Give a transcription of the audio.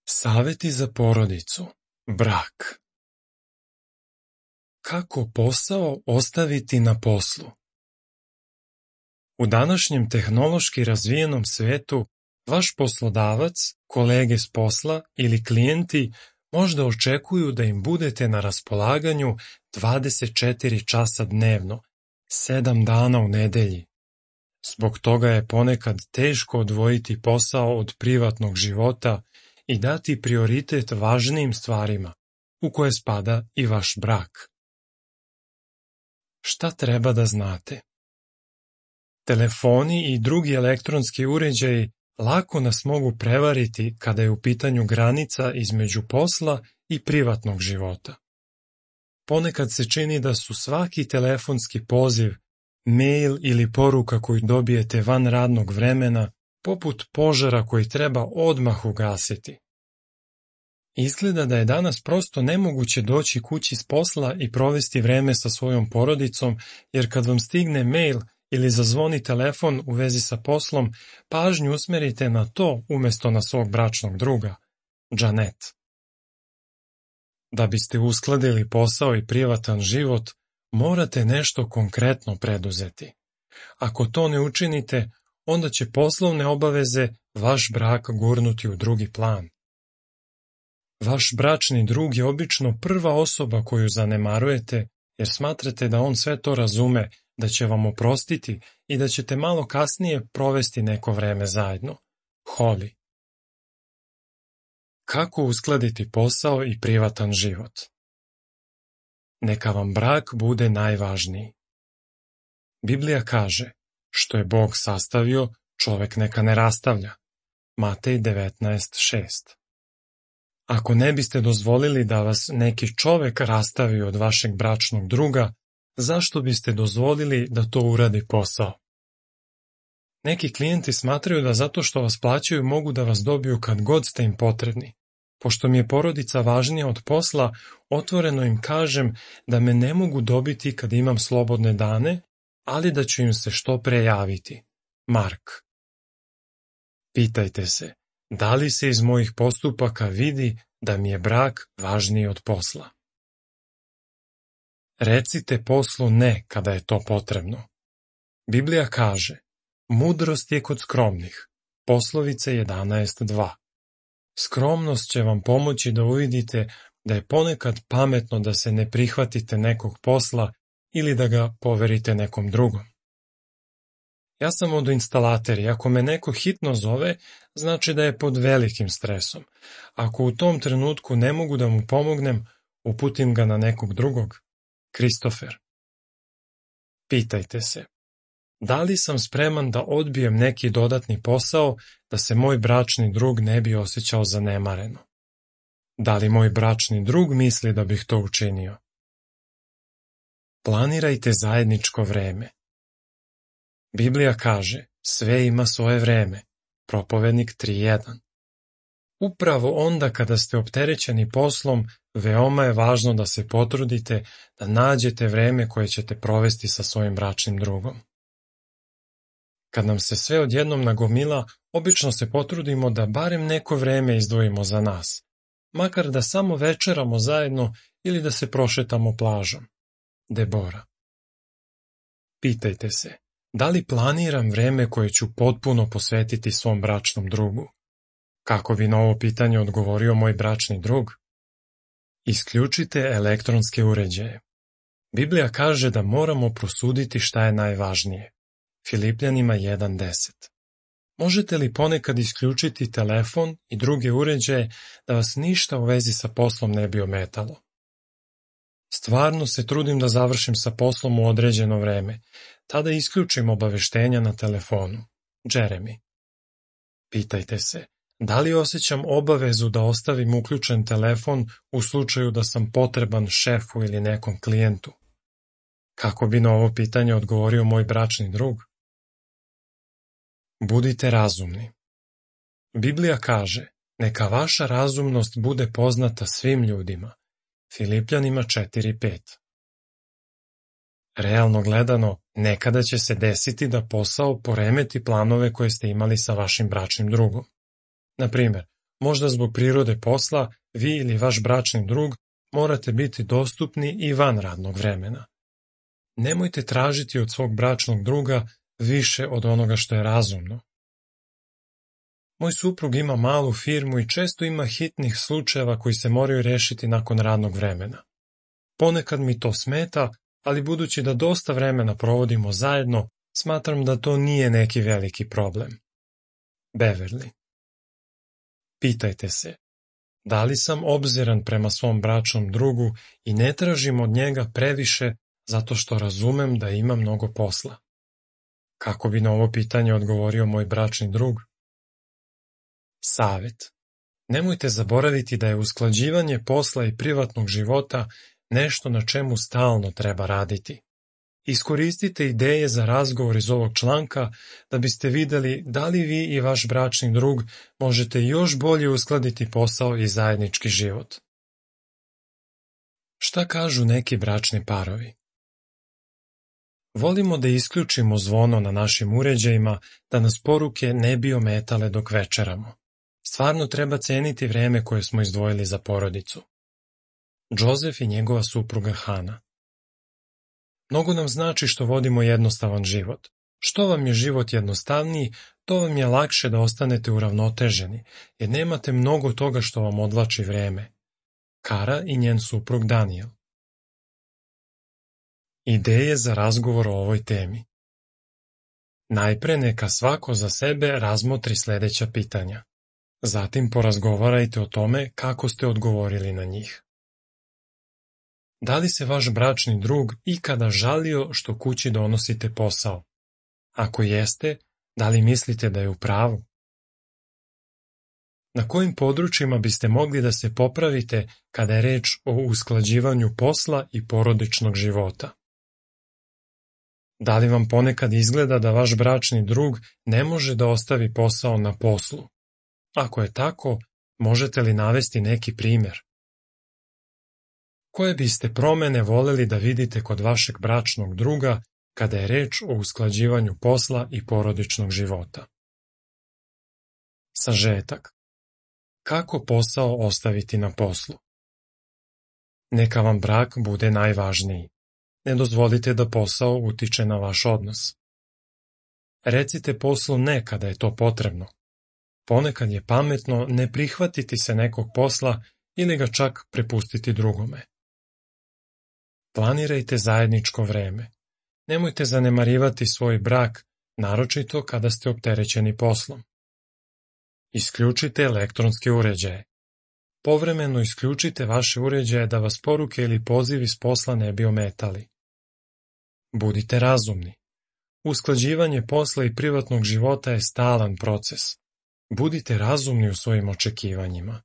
Saveti za porodicu. Brak. Kako posao ostaviti na poslu? U današnjem tehnološki razvijenom svetu, vaš poslodavac, kolege s posla ili klijenti možda očekuju da im budete na raspolaganju 24 časa dnevno, 7 dana u nedelji. Zbog toga je ponekad teško odvojiti posao od privatnog života i dati prioritet važnijim stvarima, u koje spada i vaš brak. Šta treba da znate? Telefoni i drugi elektronski uređaji lako nas mogu prevariti kada je u pitanju granica između posla i privatnog života. Ponekad se čini da su svaki telefonski poziv, mail ili poruka koju dobijete van radnog vremena poput požara koji treba odmah ugasiti. Izgleda da je danas prosto nemoguće doći kući s posla i provesti vreme sa svojom porodicom, jer kad vam stigne mail ili zazvoni telefon u vezi sa poslom, pažnju usmerite na to umjesto na svog bračnog druga, Janet. Da biste uskladili posao i privatan život, morate nešto konkretno preduzeti. Ako to ne učinite, onda će poslovne obaveze vaš brak gurnuti u drugi plan. Vaš bračni drug je obično prva osoba koju zanemarujete, jer smatrate da on sve to razume, da će vam oprostiti i da ćete malo kasnije provesti neko vreme zajedno. Holly. Kako uskladiti posao i privatan život? Neka vam brak bude najvažniji. Biblija kaže, što je Bog sastavio, čovek neka ne rastavlja. Matej 19:6. Ako ne biste dozvolili da vas neki čovek rastavi od vašeg bračnog druga, zašto biste dozvolili da to uradi posao? Neki klijenti smatraju da zato što vas plaćaju mogu da vas dobiju kad god ste im potrebni. Pošto mi je porodica važnija od posla, otvoreno im kažem da me ne mogu dobiti kad imam slobodne dane, ali da ću im se što pre javiti. Mark. Pitajte se, da li se iz mojih postupaka vidi da mi je brak važniji od posla? Recite poslu ne kada je to potrebno. Biblija kaže, mudrost je kod skromnih. Poslovice 11:2. Skromnost će vam pomoći da uvidite da je ponekad pametno da se ne prihvatite nekog posla ili da ga poverite nekom drugom. Ja sam vodoinstalater i ako me neko hitno zove, znači da je pod velikim stresom. Ako u tom trenutku ne mogu da mu pomognem, uputim ga na nekog drugog. Kristofer. Pitajte se, da li sam spreman da odbijem neki dodatni posao da se moj bračni drug ne bi osjećao zanemareno? Da li moj bračni drug misli da bih to učinio? Planirajte zajedničko vreme. Biblija kaže, sve ima svoje vreme. Propovednik 3:1. Upravo onda kada ste opterećeni poslom, veoma je važno da se potrudite da nađete vreme koje ćete provesti sa svojim bračnim drugom. Kad nam se sve odjednom nagomila, obično se potrudimo da barem neko vreme izdvojimo za nas, makar da samo večeramo zajedno ili da se prošetamo plažom. Debora. Pitajte se, da li planiram vreme koje ću potpuno posvetiti svom bračnom drugu? Kako bi na ovo pitanje odgovorio moj bračni drug? Isključite elektronske uređaje. Biblija kaže da moramo prosuditi šta je najvažnije. Filipljanima 1:10. Možete li ponekad isključiti telefon i druge uređaje da vas ništa u vezi sa poslom ne bi ometalo? Stvarno se trudim da završim sa poslom u određeno vreme, tada isključim obaveštenja na telefonu. Jeremy. Pitajte se, da li osjećam obavezu da ostavim uključen telefon u slučaju da sam potreban šefu ili nekom klijentu? Kako bi na ovo pitanje odgovorio moj bračni drug? Budite razumni. Biblija kaže, neka vaša razumnost bude poznata svim ljudima. Filipljanima 4:5. Realno gledano, nekada će se desiti da posao poremeti planove koje ste imali sa vašim bračnim drugom. Na primjer, Možda zbog prirode posla, vi ili vaš bračni drug morate biti dostupni i van radnog vremena. Nemojte tražiti od svog bračnog druga više od onoga što je razumno. Moj suprug ima malu firmu i često ima hitnih slučajeva koji se moraju rešiti nakon radnog vremena. Ponekad mi to smeta, ali budući da dosta vremena provodimo zajedno, smatram da to nije neki veliki problem. Beverly. Pitajte se, da li sam obziran prema svom bračnom drugu i ne tražim od njega previše zato što razumem da ima mnogo posla? Kako bi na ovo pitanje odgovorio moj bračni drug? Savet. Nemojte zaboraviti da je usklađivanje posla i privatnog života nešto na čemu stalno treba raditi. Iskoristite ideje za razgovor iz ovog članka da biste videli da li vi i vaš bračni drug možete još bolje uskladiti posao i zajednički život. Šta kažu neki bračni parovi? Volimo da isključimo zvono na našim uređajima da nas poruke ne bi ometale dok večeramo. Stvarno treba ceniti vreme koje smo izdvojili za porodicu. Joseph i njegova supruga Hana. Mnogo nam znači što vodimo jednostavan život. Što vam je život jednostavniji, to vam je lakše da ostanete uravnoteženi, jer nemate mnogo toga što vam odvlači vreme. Kara i njen suprug Daniel. Ideje za razgovor o ovoj temi. Najpre neka svako za sebe razmotri sljedeća pitanja. Zatim porazgovarajte o tome kako ste odgovorili na njih. Da li se vaš bračni drug ikada žalio što kući donosite posao? Ako jeste, da li mislite da je u pravu? Na kojim područjima biste mogli da se popravite kada je reč o usklađivanju posla i porodičnog života? Da li vam ponekad izgleda da vaš bračni drug ne može da ostavi posao na poslu? Ako je tako, možete li navesti neki primjer? Koje biste promene voleli da vidite kod vašeg bračnog druga kada je reč o usklađivanju posla i porodičnog života? Sažetak. Kako posao ostaviti na poslu? Neka vam brak bude najvažniji. Ne dozvolite da posao utiče na vaš odnos. Recite poslu ne kada je to potrebno. Ponekad je pametno ne prihvatiti se nekog posla ili ga čak prepustiti drugome. Planirajte zajedničko vreme. Nemojte zanemarivati svoj brak, naročito kada ste opterećeni poslom. Isključite elektronske uređaje. Povremeno isključite vaše uređaje da vas poruke ili pozivi s posla ne bi ometali. Budite razumni. Usklađivanje posla i privatnog života je stalan proces. Budite razumni u svojim očekivanjima.